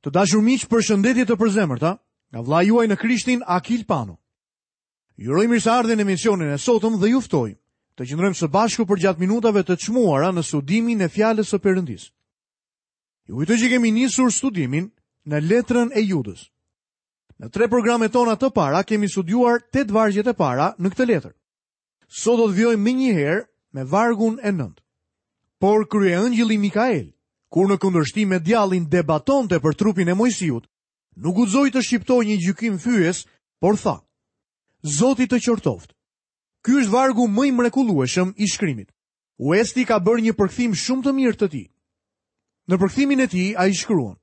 Të dashur miq, përshëndetje të përzemërta nga vëllai juaj në Krishtin Akil Pano. Ju uroj mirëseardhjen në emisionin e sotëm dhe ju ftoj të qëndrojmë së bashku përgjatë minutave të çmuara në studimin e fjalës së Perëndisë. Ju kujtoj që kemi nisur studimin në letrën e Judës. Në tre programet tona të para kemi studiuar tetë vargjet e para në këtë letër. Sot do të vijojmë menjëherë me vargun e nëntë. Por kryeëngjëlli Mikael, kur në kundërshtim me djallin debatonte për trupin e Moisiut, nuk guxoi të shqiptojë një gjykim fyes, por tha: Zoti të qortoftë. Ky është vargu më i mrekullueshëm i shkrimit. Uesti ka bërë një përkthim shumë të mirë të tij. Në përkthimin e tij ai shkruan: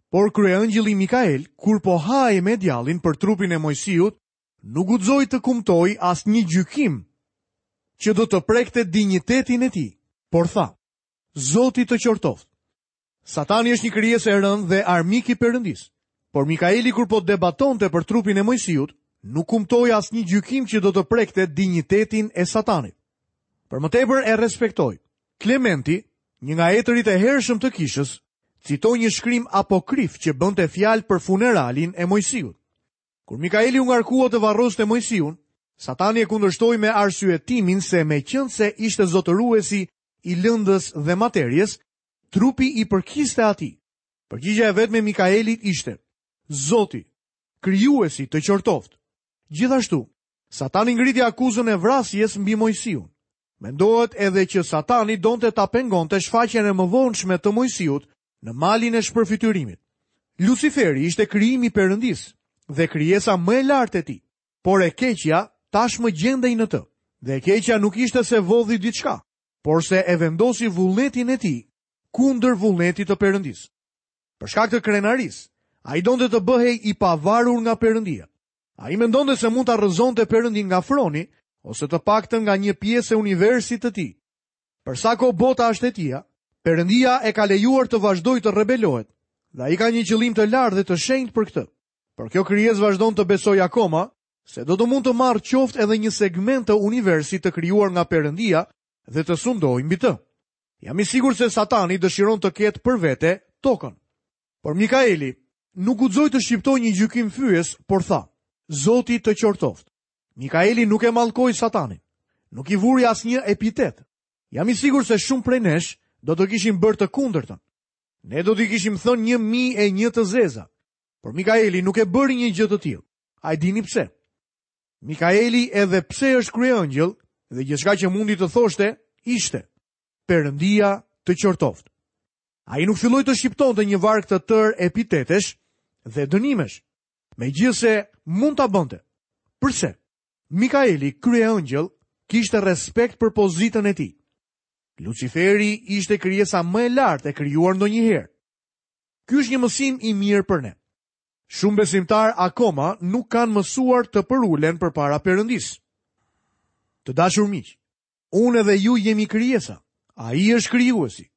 Por kryeëngjëlli Mikael, kur po hahej me djallin për trupin e Moisiut, nuk guxoi të kumtojë asnjë gjykim që do të prekte dinjitetin e tij, por tha: Zoti të qortoftë. Satani është një krijesë e rëndë dhe armik i Perëndisë. Por Mikaeli kur po debatonte për trupin e Moisiut, nuk kumtoi asnjë gjykim që do të prekte dinjitetin e Satanit. Për më tepër e respektoi. Klementi, një nga etërit e hershëm të kishës, citoi një shkrim apokrif që bënte fjalë për funeralin e Moisiut. Kur Mikaeli u ngarkua të varroste Moisiun, Satani e kundërshtoi me arsyetimin se meqenëse ishte zotëruesi i lëndës dhe materies, trupi i përkiste atij. Përgjigja e vetme e Mikaelit ishte: Zoti, krijuesi të qortoftë. Gjithashtu, Satani ngriti akuzën e vrasjes mbi Moisiun. Mendohet edhe që Satani donte ta pengonte shfaqjen e mëvonshme të Moisiut në malin e shpërfytyrimit. Luciferi ishte krijim i Perëndisë dhe krijesa më e lartë e tij, por e keqja tashmë gjendej në të. Dhe e keqja nuk ishte se vodhi diçka, por se e vendosi vullnetin e tij kundër vullnetit të Perëndisë. Për shkak të krenarisë, ai donte të bëhej i pavarur nga Perëndia. Ai mendonte se mund ta rrëzonte Perëndinë nga froni, ose të paktën nga një pjesë e universit të tij. Për sa kohë bota është e tija, Perëndia e ka lejuar të vazhdojë të rebelohet, dhe ai ka një qëllim të lartë dhe të shenjtë për këtë. Por kjo krijesë vazhdon të besojë akoma se do të mund të marrë qoftë edhe një segment të universit të krijuar nga Perëndia dhe të sundojë mbi të. Jam i sigurt se Satani dëshiron të ketë për vete tokën. Por Mikaeli nuk guxoi të shqiptojë një gjykim fyes, por tha: Zoti të qortoftë. Mikaeli nuk e mallkoi Satanin. Nuk i vuri asnjë epitet. Jam i sigurt se shumë prej nesh do të kishin bërë të kundërtën. Ne do t'i kishim thënë 1001 të zeza. Por Mikaeli nuk e bëri një gjë të tillë. A e dini pse? Mikaeli edhe pse është kryeëngjëll dhe gjithçka që mundi të thoshte ishte Perëndia të qortoftë. Ai nuk filloi të shqiptonte një varg të tërë epitetesh dhe dënimesh. Megjithëse mund ta bënte. Përse? Mikaeli, kryeëngjëll, kishte respekt për pozitën e tij. Luciferi ishte krijesa më e lartë e krijuar ndonjëherë. Ky është një mësim i mirë për ne. Shumë besimtarë akoma nuk kanë mësuar të përulen përpara Perëndisë. Të dashur miq, unë edhe ju jemi krijesa. Ai është krijuesi.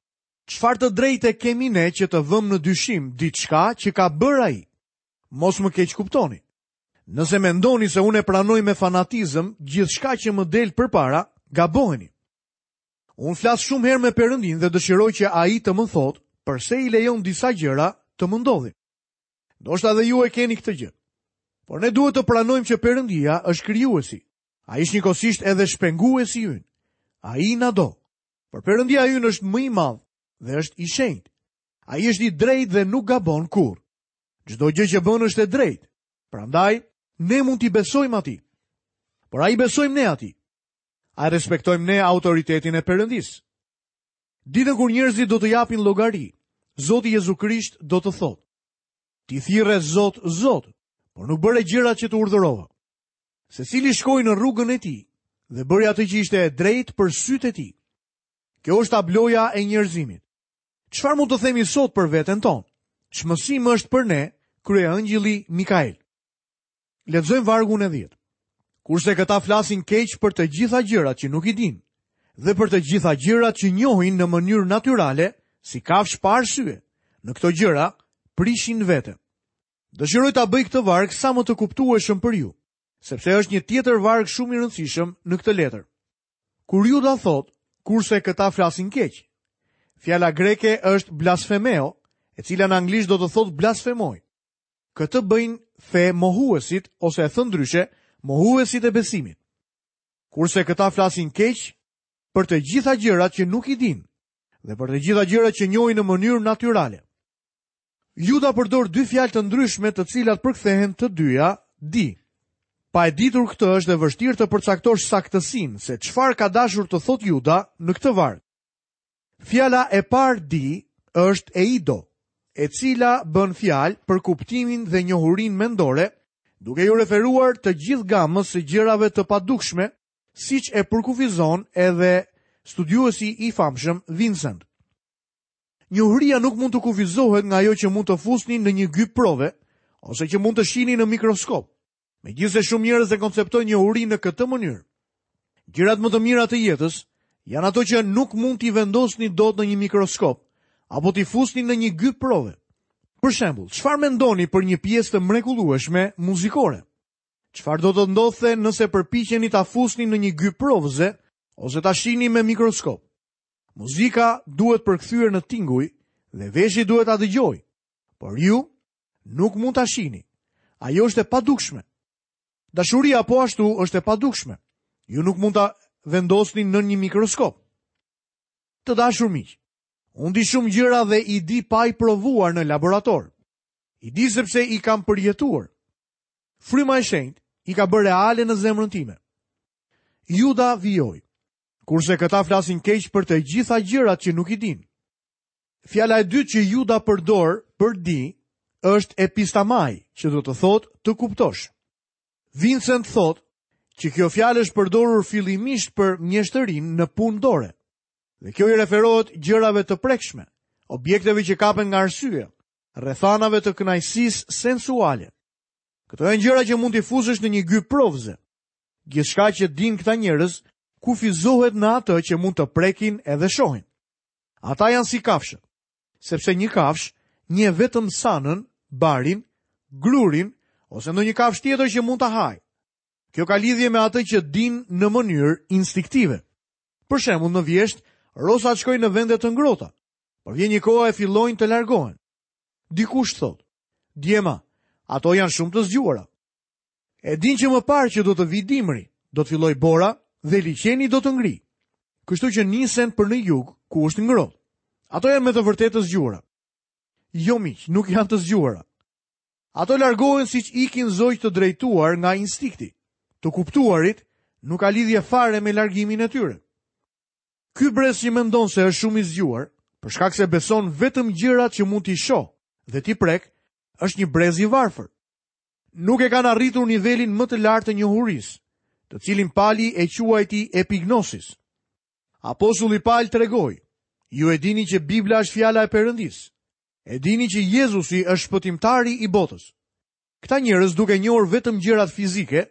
Çfarë të drejte kemi ne që të vëmë në dyshim diçka që ka bërë ai? Mos më keqkuptoni. Nëse mendoni se unë e pranoj me fanatizëm gjithçka që më del përpara, gaboheni. Unë flas shumë herë me Perëndinë dhe dëshiroj që ai të më thotë përse i lejon disa gjëra të më ndodhin. Ndoshta edhe ju e keni këtë gjë. Por ne duhet të pranojmë që Perëndia është krijuesi. Ai është njëkohësisht edhe shpenguesi ynë. Ai na do. Por Perëndia ynë është më i madh dhe është i shenjtë. Ai është i drejtë dhe nuk gabon kurrë. Çdo gjë që bën është e drejtë. Prandaj, ne mund t'i besojmë atij. Por a i besojmë ne atij? A e respektojmë ne autoritetin e Perëndisë? Ditën kur njerëzit do të japin llogari, Zoti Jezu Krisht do të thotë: Ti thirre Zot, Zot, por nuk bëre gjërat që të urdhërova. Secili shkoi në rrugën e tij dhe bëri atë që ishte e drejtë për sytë e tij. Kjo është tabloja e njerëzimit. Çfarë mund të themi sot për veten tonë? Ç'mësim është për ne kryeëngjëlli Mikael? Lexojmë vargun e 10. Kurse këta flasin keq për të gjitha gjërat që nuk i dinë dhe për të gjitha gjërat që njohin në mënyrë natyrale, si kafshë pa arsye. Në këto gjëra prishin veten. Dëshiroj ta bëj këtë varg sa më të kuptueshëm për ju, sepse është një tjetër varg shumë i rëndësishëm në këtë letër. Kur Juda thotë, kurse këta flasin keq. Fjala greke është blasfemeo, e cila në anglisht do të thotë blasfemoj. Këtë bëjnë fe mohuesit ose e thënë ndryshe, mohuesit e besimit. Kurse këta flasin keq për të gjitha gjërat që nuk i dinë dhe për të gjitha gjërat që njohin në mënyrë natyrale. Juda përdor dy fjalë të ndryshme të cilat përkthehen të dyja di. Pa e ditur këtë është e vështirë të përcaktosh saktësinë se çfarë ka dashur të thotë Juda në këtë varg. Fjala e parë di është eido, e cila bën fjalë për kuptimin dhe njohurinë mendore, duke iu referuar të gjithë gamës së gjërave të padukshme, siç e përkufizon edhe studiuesi i famshëm Vincent. Njohuria nuk mund të kufizohet nga ajo që mund të fusni në një gyp prove ose që mund të shihni në mikroskop. Megjithëse shumë njerëz e konceptojnë njohurinë në këtë mënyrë. Gjërat më të mira të jetës janë ato që nuk mund t'i vendosni dot në një mikroskop apo t'i fusni në një gyp prove. Për shembull, çfarë mendoni për një pjesë të mrekullueshme muzikore? Çfarë do të ndodhte nëse përpiqeni ta fusni në një gyp provëze ose ta shihni me mikroskop? Muzika duhet përkthyer në tinguj dhe veshi duhet ta dëgjojë. Por ju nuk mund ta shihni. Ajo është e padukshme. Dashuria po ashtu është e padukshme. Ju nuk mund ta vendosni në një mikroskop. Të dashur miq, unë di shumë gjëra dhe i di pa i provuar në laborator. I di sepse i kam përjetuar. Fryma e shenjtë i ka bërë reale në zemrën time. Juda vijoi. Kurse këta flasin keq për të gjitha gjërat që nuk i dinë. Fjala e dytë që Juda përdor për di është epistamai, që do të thotë të kuptosh. Vincent thotë që kjo fjalë është përdorur fillimisht për mjeshtërinë në punë dore. Dhe kjo i referohet gjërave të prekshme, objekteve që kapen nga arsyeja, rrethanave të kënaqësisë sensuale. Këto janë gjëra që mund t'i fusësh në një gyp provëze. Gjithçka që dinë këta njerëz kufizohet në atë që mund të prekin edhe shohin. Ata janë si kafshët, sepse një kafshë njeh vetëm sanën, barin, grurin ose ndonjë kafshë tjetër që mund ta hajë. Kjo ka lidhje me atë që dinë në mënyrë instinktive. Për shembull, në vjeshtë, rosat shkojnë në vende të ngrohta, por vjen një kohë e fillojnë të largohen. Dikush thotë, djema, ato janë shumë të zgjuara. E dinë që më parë që do të vijë dimri, do të fillojë bora dhe liqeni do të ngrijë. Kështu që nisen për në jug, ku është ngrohtë. Ato janë me të vërtetë të zgjuara. Jo miq, nuk janë të zgjuara. Ato largohen siç ikin zogj të drejtuar nga instinkti. Të kuptuarit nuk ka lidhje fare me largimin e tyre. Ky brez që mendon se është shumë i zgjuar, për shkak se beson vetëm gjërat që mund t'i shohë dhe t'i prekë, është një brez i varfër. Nuk e kanë arritur nivelin më të lartë të njohurisë, të cilin Pali e quajti epignosis. Apostulli Pal tregoi, ju e dini që Bibla është fjala e Perëndisë. E dini që Jezusi është shpëtimtari i botës. Këta njerëz duke njohur vetëm gjërat fizike,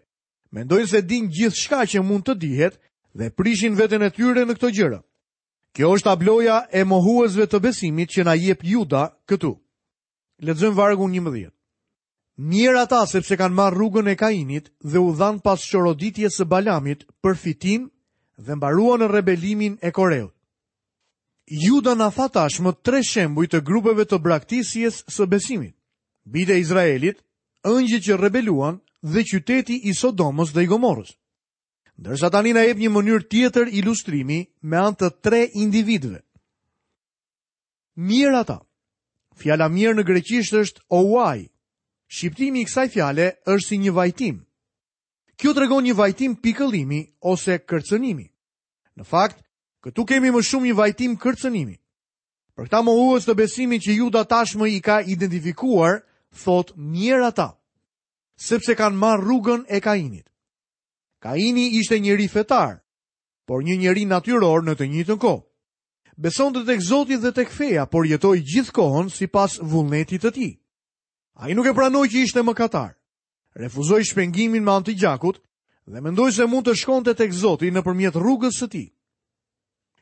mendojnë se dinë gjithçka që mund të dihet dhe prishin veten e tyre në këto gjëra. Kjo është tabloja e mohuesve të besimit që na jep Juda këtu. Lexojmë vargun 11. Mjerë ata sepse kanë marrë rrugën e Kainit dhe u dhanë pas çoroditjes së Balamit për fitim dhe mbaruan në rebelimin e Koreut. Juda na tha tashmë tre shembuj të grupeve të braktisjes së besimit. Bijtë e Izraelit, engjëjt që rebeluan dhe qyteti i Sodomës dhe i Gomorrës. Ndërsa tani na jep një mënyrë tjetër ilustrimi me anë të tre individëve. Mjerë ata. Fjala mjerë në greqisht është ouai. Shqiptimi i kësaj fjale është si një vajtim. Kjo tregon një vajtim pikëllimi ose kërcënimi. Në fakt, këtu kemi më shumë një vajtim kërcënimi. Për këta mohues të besimit që Juda tashmë i ka identifikuar, thotë mjerë ata, sepse kanë marrë rrugën e Kainit. Kaini ishte njeri fetar, por një njeri natyror në të njëjtën kohë. Besonte tek Zoti dhe tek feja, por jetoi gjithë kohën sipas vullnetit të tij. Ai nuk e pranoi që ishte mëkatar. Refuzoi shpengimin me anë të gjakut dhe mendoi se mund të shkonte tek Zoti nëpërmjet rrugës së tij.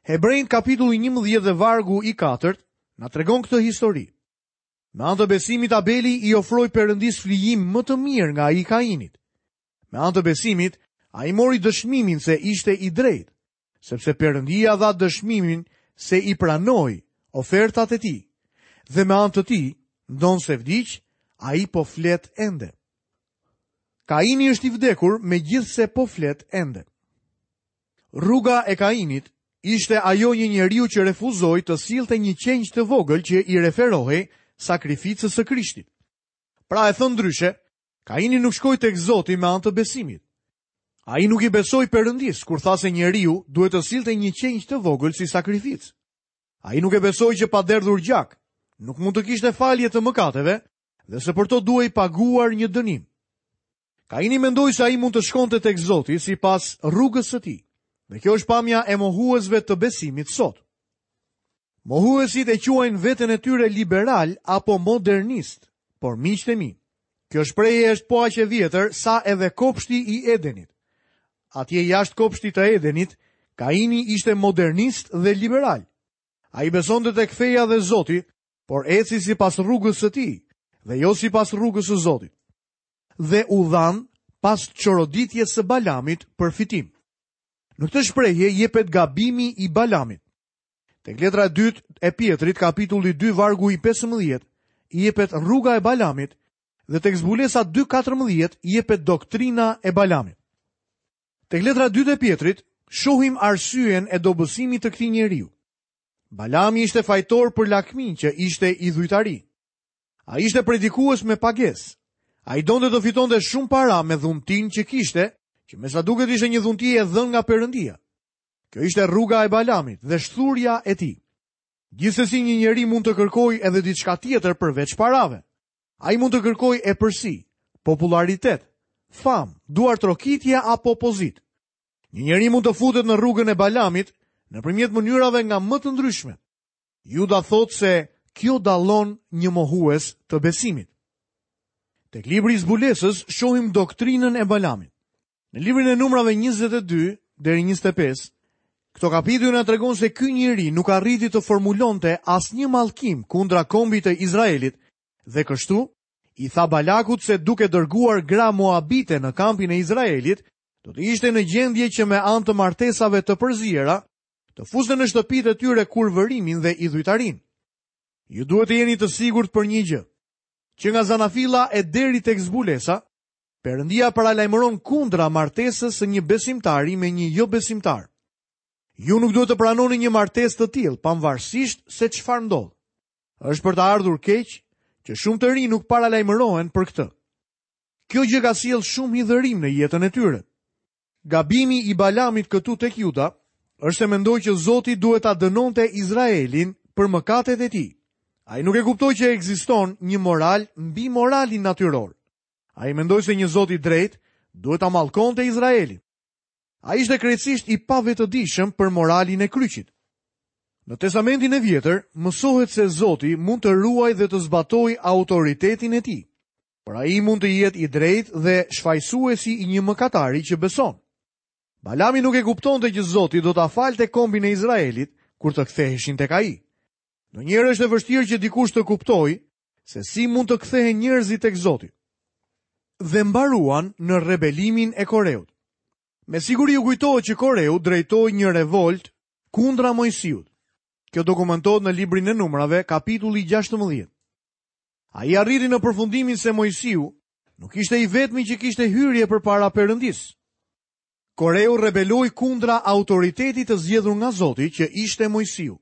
Hebrenjtë kapitulli 11 dhe vargu i katërt na tregon këtë histori. Me anë të besimit Abeli i ofroi Perëndisë flijim më të mirë nga ai i Kainit. Me anë të besimit, ai mori dëshmimin se ishte i drejtë. sepse Perëndia dha dëshmimin se i pranoi ofertat e tij. Dhe me anë të tij, ndonëse vdiq, ai po flet ende. Kaini është i vdekur, megjithëse po flet ende. Rruga e Kainit ishte ajo e një njeriu që refuzoi të sillte një qengj të vogël që i referohej sakrificës së Krishtit. Pra e thënë ndryshe, Kaini nuk shkoi tek Zoti me anë të besimit. Ai nuk i besoi Perëndisë kur tha se njeriu duhet të sillte një qengj të vogël si sakrificë. Ai nuk e besoi që pa derdhur gjak, nuk mund të kishte falje të mëkateve dhe se për to duhej paguar një dënim. Kaini mendoi se ai mund të shkonte tek Zoti sipas rrugës së tij. Dhe kjo është pamja e mohuesve të besimit sot. Mohuesit e quajnë veten e tyre liberalë apo modernistë, por miqtë e mi, kjo shprehje është po aq e vjetër sa edhe kopshti i Edenit. Atje jashtë kopshtit të Edenit, Kaini ishte modernist dhe liberal. Ai besonte tek feja dhe Zoti, por eci sipas rrugës së tij dhe jo sipas rrugës së Zotit. Dhe u dhanë pas çoroditjes së Balamit për fitim. Në këtë shprehje jepet gabimi i Balamit. Tek letra e dytë e Pjetrit, kapitulli 2, vargu i 15, jepet rruga e Balamit dhe tek Zbulesa 2.14 jepet doktrina e Balamit. Tek letra e dytë e Pjetrit, shohim arsyen e dobësimit të këtij njeriu. Balami ishte fajtor për lakminë që ishte idhujtari. Ai ishte predikues me pagesë. Ai donte të fitonte shumë para me dhuntinë që kishte, që me sa duket ishte një dhunti e dhënë nga Perëndia. Kjo ishte rruga e Balamit dhe shthurja e tij. Gjithsesi një njeri mund të kërkojë edhe diçka tjetër përveç parave. Ai mund të kërkojë epërsi, popullaritet, famë, duartrokitje apo pozitë. Një njeri mund të futet në rrugën e Balamit nëpërmjet mënyrave nga më të ndryshme. Juda thotë se kjo dallon një mohues të besimit. Tek libri i Zbulesës shohim doktrinën e Balamit. Në librin e Numrave 22 deri 25, këto kapituj na tregon se ky njeri nuk arriti të formulonte asnjë mallkim kundra kombit të Izraelit dhe kështu i tha Balakut se duke dërguar gra moabite në kampin e Izraelit, do të ishte në gjendje që me anë të martesave të përziera, të fuste në shtëpitë e tyre kurvërimin dhe idhujtarinë. Ju duhet të jeni të sigurt për një gjë. Që nga zanafilla e deri tek zbulesa, Perëndia paralajmëron kundra martesës së një besimtari me një jobesimtar. Ju nuk duhet të pranoni një martesë të tillë, pavarësisht se çfarë ndodh. Është për të ardhur keq që shumë të rinj nuk paralajmërohen për këtë. Kjo gjë ka sjellë shumë hidhërim në jetën e tyre. Gabimi i Balamit këtu tek Juda është se mendoi që Zoti duhet ta dënonte Izraelin për mëkatet e tij. Ai nuk e kuptoi që ekziston një moral mbi moralin natyror. Ai mendoi se një Zot i drejtë duhet ta mallkonte Izraelin. Ai ishte krejtësisht i pavetëdijshëm për moralin e kryqit. Në Testamentin e Vjetër mësohet se Zoti mund të ruajë dhe të zbatojë autoritetin e tij. Por ai mund të jetë i drejtë dhe shfajësuesi i një mëkatari që beson. Balami nuk e kuptonte që Zoti do ta falte kombin e Izraelit kur të ktheheshin tek ai. Ndonjëherë është e vështirë që dikush të kuptojë se si mund të kthehen njerëzit tek Zoti. Dhe mbaruan në rebelimin e Koreut. Me siguri ju kujtohet që Koreu drejtoi një revoltë kundra Moisiut. Kjo dokumentohet në librin e Numrave, kapitulli 16. Ai arriti në përfundimin se Moisiu nuk ishte i vetmi që kishte hyrje përpara Perëndisë. Koreu rebeloi kundra autoritetit të zgjedhur nga Zoti që ishte Moisiu.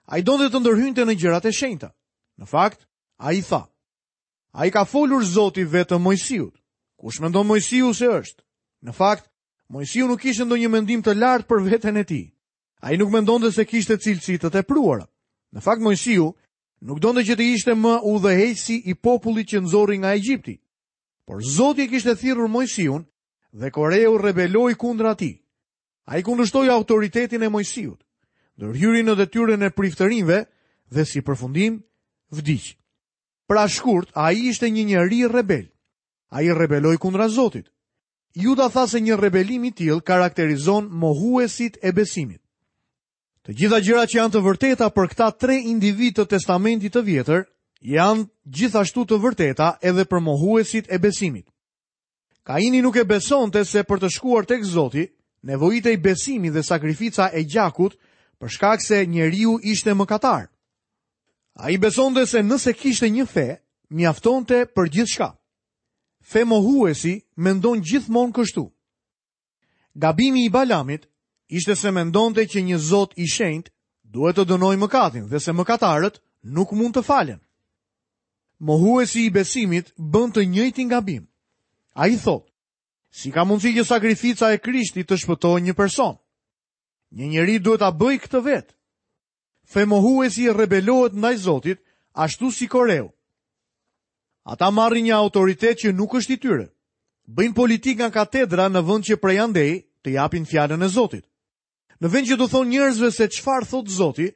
Ai donte të ndërhynte në gjërat e shenjta. Në fakt, ai tha: A i ka folur Zoti vetëm Moisiut. Kush mendon Moisiu se është? Në fakt, Moisiu nuk kishte ndonjë mendim të lartë për veten e tij. Ai nuk mendonte se kishte cilësi të tepruara. Në fakt, Moisiu nuk donte që të ishte më udhëheqësi i popullit që nxori nga Egjipti. Por Zoti e kishte thirrur Moisiun dhe Koreu rebeloi kundra tij. Ai kundërshtoi autoritetin e Moisiut, ndërhyri në detyrën e priftërinjve dhe si përfundim vdiq. Pra shkurt, ai ishte një njeri rebel. Ai rebeloi kundra Zotit. Juda tha se një rebelim i tillë karakterizon mohuesit e besimit. Të gjitha gjërat që janë të vërteta për këta tre individë të Testamentit të Vjetër janë gjithashtu të vërteta edhe për mohuesit e besimit. Kaini nuk e besonte se për të shkuar tek Zoti, nevojitej besimi dhe sakrifica e gjakut për shkak se njeriu ishte mëkatar. Ai besonte se nëse kishte një fe, mjaftonte për gjithçka. Femohuesi mendon gjithmonë kështu. Gabimi i Balamit ishte se mendonte që një Zot i shenjtë duhet të dënojë mëkatin dhe se mëkatarët nuk mund të falen. Mohuesi i besimit bën të njëjtin gabim. Ai thotë, si ka mundësi që sakrifica e Krishtit të shpëtojë një person? Një njeri duhet ta bëjë këtë vetë. Femohuesi rebelohet ndaj Zotit, ashtu si Koreu. Ata marrin një autoritet që nuk është i tyre. Bëjnë politikë nga katedra në vend që prej andej të japin fjalën e Zotit. Në vend që t'u thonë njerëzve se çfarë thotë Zoti,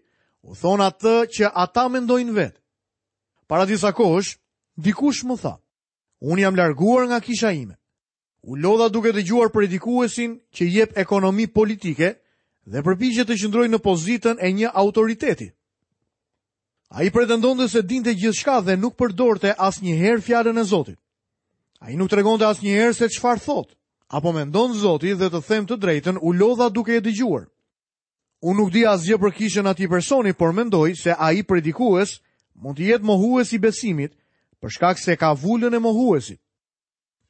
u thonë atë që ata mendojnë vetë. Para disa kohësh, dikush më tha, unë jam larguar nga kisha ime. U lodha duke dëgjuar predikuesin që jep ekonomi politike dhe përpiqet të qëndrojë në pozitën e një autoriteti. Ai pretendonte se dinte gjithçka dhe nuk përdorte asnjëherë fjalën e Zotit. Ai nuk tregonte asnjëherë se çfarë thotë, apo mendon Zoti dhe të them të drejtën, u lodha duke e dëgjuar. Unë nuk di asgjë për kishën e atij personi, por mendoj se ai predikues mund të jetë mohues i besimit, për shkak se ka vulën e mohuesit.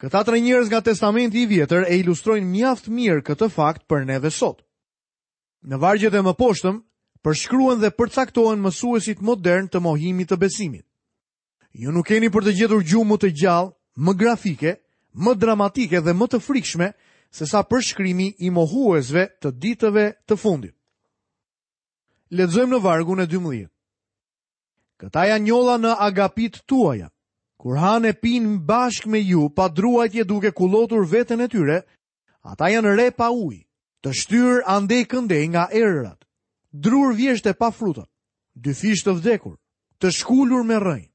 Këta tre njerëz nga Testamenti i Vjetër e ilustrojnë mjaft mirë këtë fakt për neve sot. Në vargjet e mëposhtëm përshkruhen dhe përcaktohen mësuesit modernë të mohimit të besimit. Ju nuk keni për të gjetur gjuhë më të gjallë, më grafike, më dramatike dhe më të frikshme sesa përshkrimi i mohuesve të ditëve të fundit. Lexojmë në vargun e 12. Këta janë njolla në agapitë tuaja. Kur hanë e pinë bashkë me ju pa druajtje duke kullotur veten e tyre, ata janë re pa ujë, të shtyrë andej këndej nga erërat, drurë vjeshte pa fruta, dyfish të vdekur, të shkulur me rrënjë.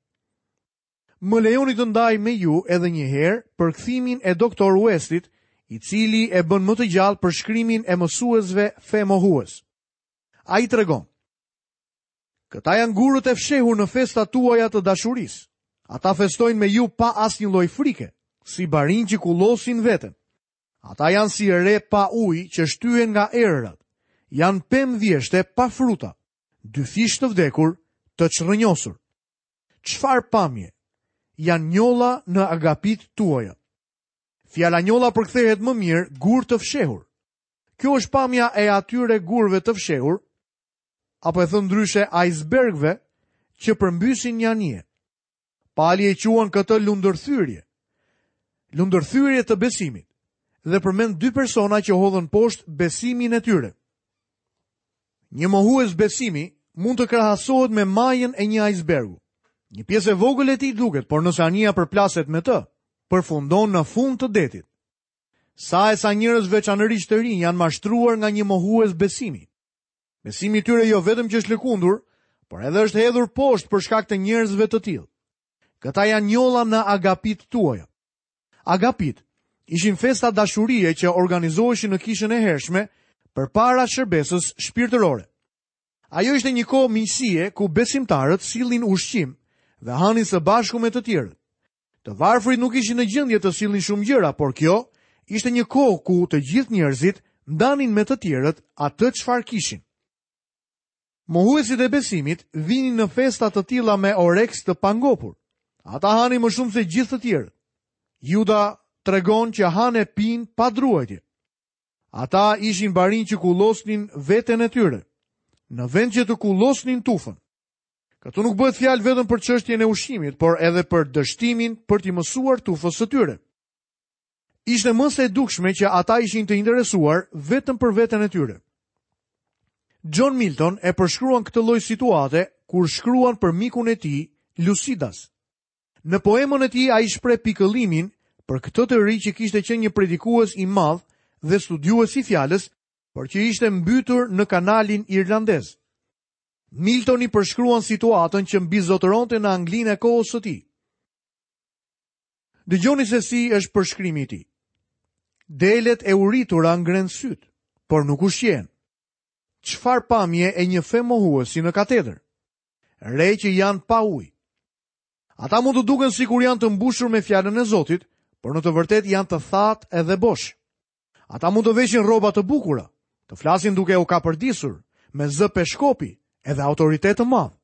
Më lejoni të ndaj me ju edhe një herë përkthimin e Doktor Westit, i cili e bën më të gjallë përshkrimin e mësuesve femohues. Ai tregon, Këta janë gurët e fshehur në festat tuaja të dashurisë. Ata festojnë me ju pa asnjë lloj frike, si barinj që kullosin veten. Ata janë si re pa ujë që shtyhen nga erërat. Janë pemë vjeshte pa fruta, dyfish të vdekur, të çrrënjosur. Çfarë pamje? Janë njolla në agapitë tuaja. Fjala njolla përkthehet më mirë gurë të fshehur. Kjo është pamja e atyre gurëve të fshehur, apo e thënë ndryshe ajsbergëve që përmbysin një anije. Pali e quan këtë lundërthyrje. Lundërthyrje të besimit dhe përmend dy persona që hodhën poshtë besimin e tyre. Një mohues besimi mund të krahasohet me majën e një ajsbergu. Një pjesë e vogël e tij duket, por nëse anija përplaset me të, përfundon në fund të detit. Sa e sa njerëz veçanërisht të rinj janë mashtruar nga një mohues besimi. Besimi i tyre jo vetëm që është lëkundur, por edhe është hedhur poshtë për shkak të njerëzve të tillë. Këta janë njolla në agapitë tuaja. Agapitë ishin festa dashurie që organizoheshin në kishën e hershme përpara shërbesës shpirtërore. Ajo ishte një kohë miqësie ku besimtarët sillnin ushqim dhe hanin së bashku me të tjerët. Të varfrit nuk ishin në gjendje të sillnin shumë gjëra, por kjo ishte një kohë ku të gjithë njerëzit ndanin me të tjerët atë çfarë kishin. Mohuesit e besimit vinin në festa të tilla me oreks të pangopur. Ata hanin më shumë se gjithë të tjerët. Juda tregon që hanë e pinë pa druajtje. Ata ishin barinj që kullosnin veten e tyre, në vend që të kullosnin tufën. Këtu nuk bëhet fjalë vetëm për çështjen e ushqimit, por edhe për dështimin për t'i mësuar tufës së tyre. Ishte më se e dukshme që ata ishin të interesuar vetëm për veten e tyre. John Milton e përshkruan këtë lloj situate kur shkruan për mikun e tij, Lucidas. Në poemën e tij ai shpreh pikëllimin për këtë të ri që kishte qenë një predikues i madh dhe studiues i fjalës, por që ishte mbytur në kanalin irlandez. Miltoni përshkruan situatën që mbizotëronte në Anglinë e kohës së tij. Dëgjoni se si është përshkrimi i tij. Delet e uritura ngrenë sytë, por nuk ushqehen. Çfarë pamje e një femohuesi në katedër? Re që janë pa ujë. Ata mund të duken sikur janë të mbushur me fjalën e Zotit, por në të vërtetë janë të thatë edhe bosh. Ata mund të veshin rroba të bukura, të flasin duke u kapërdisur, me zë peshkopi, edhe autoritet të madh.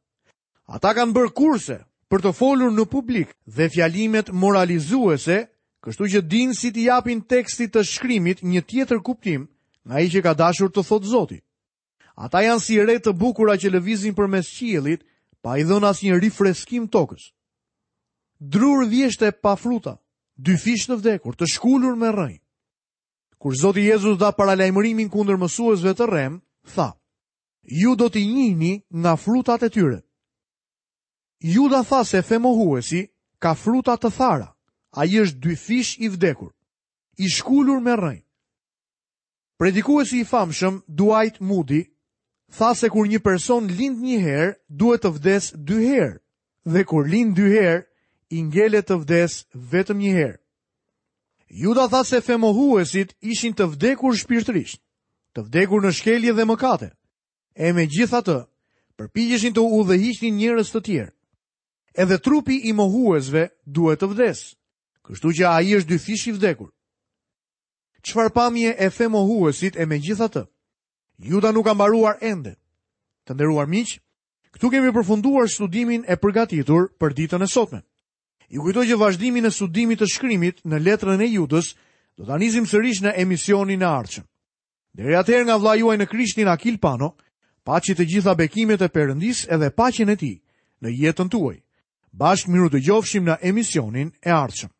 Ata kanë bërë kurse për të folur në publik dhe fjalimet moralizuese, kështu që dinë si t'i japin tekstit të shkrimit një tjetër kuptim nga ai që ka dashur të thotë Zoti. Ata janë si re të bukura që lëvizin përmes qiellit pa i dhënë asnjë rifreskim tokës. Drurë vjeshte pa fruta, dyfish të vdekur, të shkulur me rrënjë. Kur Zoti Jezus dha paralajmërimin kundër mësuesve të rremë, tha: Ju do t'i njihni nga frutat e tyre. Juda tha se femohuesi ka fruta të thara. Ai është dyfish i vdekur, i shkulur me rrënjë. Predikuesi i famshëm Dwight Moody tha se kur një person lind një herë, duhet të vdesë dy herë dhe kur lind dy herë, i ngelet të vdesë vetëm një herë. Juda tha se femohuesit ishin të vdekur shpirtërisht, të vdekur në shkelje dhe mëkate. E megjithatë, përpiqeshin të udhëhiqnin njerëz të tjerë. Edhe trupi i mohuesve duhet të vdesë, kështu që ai është dyfish i vdekur. Çfarë pamje e femohuesit e megjithatë, Juda nuk ka mbaruar ende. Të nderuar miq, këtu kemi përfunduar studimin e përgatitur për ditën e sotme. Ju kujtoj që vazhdimin e studimit të shkrimit në letrën e Judës do ta nisim sërish në emisionin e ardhshëm. Deri atëherë nga vëllai juaj në Krishtin Akil Pano, paçi të gjitha bekimet e Perëndisë edhe paqen e tij në jetën tuaj. Bashkë mirudëgjofshim në emisionin e ardhshëm.